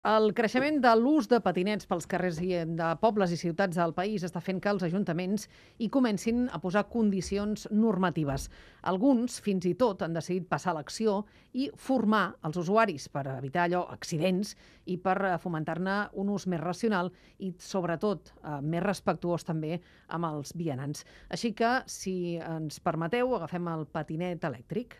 El creixement de l'ús de patinets pels carrers de pobles i ciutats del país està fent que els ajuntaments hi comencin a posar condicions normatives. Alguns, fins i tot, han decidit passar a l'acció i formar els usuaris per evitar accidents i per fomentar-ne un ús més racional i, sobretot, més respectuós també amb els vianants. Així que, si ens permeteu, agafem el patinet elèctric.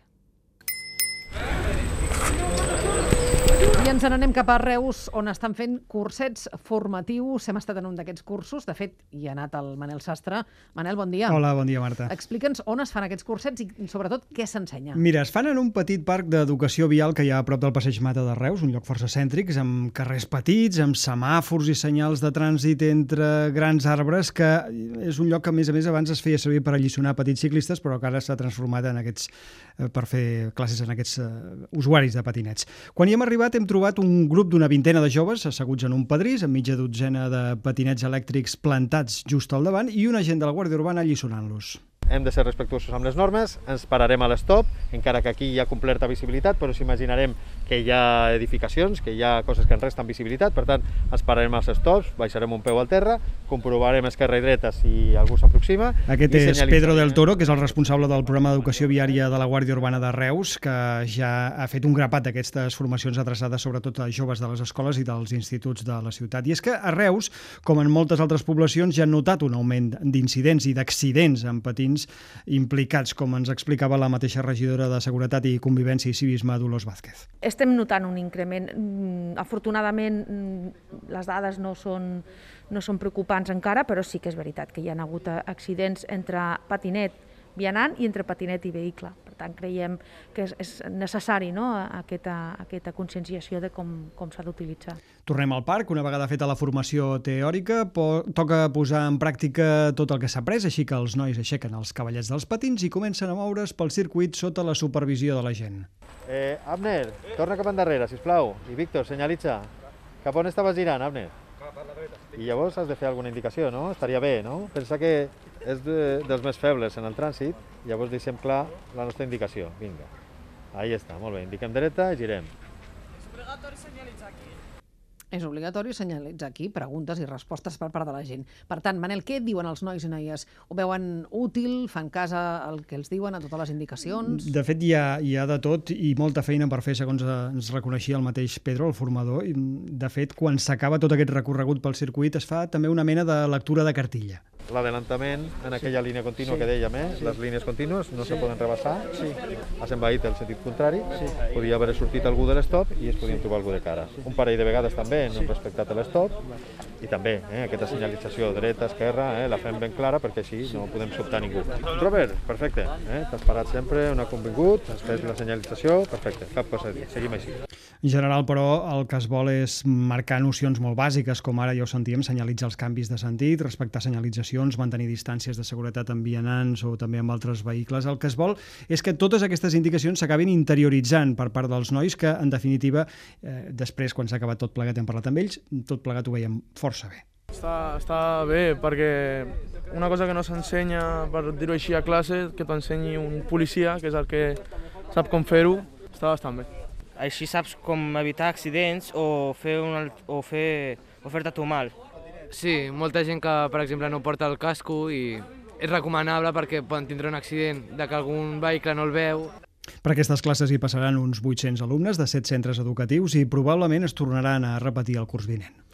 I ens n'anem cap a Reus, on estan fent cursets formatius. Hem estat en un d'aquests cursos. De fet, hi ha anat el Manel Sastre. Manel, bon dia. Hola, bon dia, Marta. Explica'ns on es fan aquests cursets i, sobretot, què s'ensenya. Mira, es fan en un petit parc d'educació vial que hi ha a prop del Passeig Mata de Reus, un lloc força cèntric, amb carrers petits, amb semàfors i senyals de trànsit entre grans arbres, que és un lloc que, a més, abans es feia servir per alliçonar petits ciclistes, però que ara s'ha transformat en per fer classes en aquests usuaris de patinets. Quan hi hem arribat hem trobat un grup d'una vintena de joves asseguts en un pedrís, amb mitja dotzena de patinets elèctrics plantats just al davant i un agent de la Guàrdia Urbana alliçonant-los. Hem de ser respectuosos amb les normes, ens pararem a l'estop, encara que aquí hi ha completa visibilitat, però imaginarem que hi ha edificacions, que hi ha coses que ens resten visibilitat, per tant, ens pararem als stops, baixarem un peu al terra, comprovarem esquerra i dreta si algú s'aproxima. Aquest és Pedro del Toro, que és el responsable del programa d'educació viària de la Guàrdia Urbana de Reus, que ja ha fet un grapat d'aquestes formacions adreçades sobretot a joves de les escoles i dels instituts de la ciutat. I és que a Reus, com en moltes altres poblacions, ja han notat un augment d'incidents i d'accidents amb patins implicats, com ens explicava la mateixa regidora de Seguretat i Convivència i Civisme, Dolors Vázquez. Estem notant un increment. Afortunadament, les dades no són preocupants encara, però sí que és veritat que hi ha hagut accidents entre patinet vianant i entre patinet i vehicle. Per tant, creiem que és necessari, no?, aquesta conscienciació de com s'ha d'utilitzar. Tornem al parc. Una vegada feta la formació teòrica, toca posar en pràctica tot el que s'ha après, així que els nois aixequen els cavallets dels patins i comencen a moure's pel circuit sota la supervisió de la gent. Abner, torna cap endarrere, sisplau. I Víctor, senyalitza. Cap on estaves girant, Abner? I llavors has de fer alguna indicació, no? Estaria bé, no? Pensa que és dels més febles en el trànsit, llavors deixem clar la nostra indicació. Vinga, ahí està, molt bé. Indiquem dreta i girem. És obligatori senyalitzar aquí? És obligatori senyalitzar aquí, preguntes i respostes per part de la gent. Per tant, Manel, què diuen els nois i noies? Ho veuen útil? Fan cas al que els diuen, a totes les indicacions? De fet, hi ha de tot i molta feina per fer, segons ens reconeixia el mateix Pedro, el formador. De fet, quan s'acaba tot aquest recorregut pel circuit, es fa també una mena de lectura de cartilla. L'adelantament en aquella línia contínua que dèiem, les línies contínues no se poden rebassar, has envaït el sentit contrari, podia haver sortit algú de l'estop i es podien trobar algú de cara. Un parell de vegades també no hem respectat l'estop i també aquesta senyalització dreta, esquerra, la fem ben clara perquè així no podem sobtar ningú. Robert, perfecte, t'has parat sempre on ha convingut, has fet la senyalització, perfecte, cap cosa a dir, seguim així. En general, però, el que es vol és marcar nocions molt bàsiques, com ara ja ho sentíem, senyalitzar els canvis de sentit, respectar senyalitzacions, mantenir distàncies de seguretat amb vianants o també amb altres vehicles. El que es vol és que totes aquestes indicacions s'acabin interioritzant per part dels nois, que, en definitiva, després, quan s'ha acabat tot plegat, hem parlat amb ells, tot plegat ho veiem força bé. Està bé, perquè una cosa que no s'ensenya, per dir-ho així, a classe, que t'ho ensenyi un policia, que és el que sap com fer-ho, està bastant bé. Així saps com evitar accidents o fer-te tu mal. Sí, molta gent que, per exemple, no porta el casco i és recomanable perquè poden tindre un accident de que algun vehicle no el veu. Per aquestes classes hi passaran uns 800 alumnes de 7 centres educatius i probablement es tornaran a repetir el curs vinent.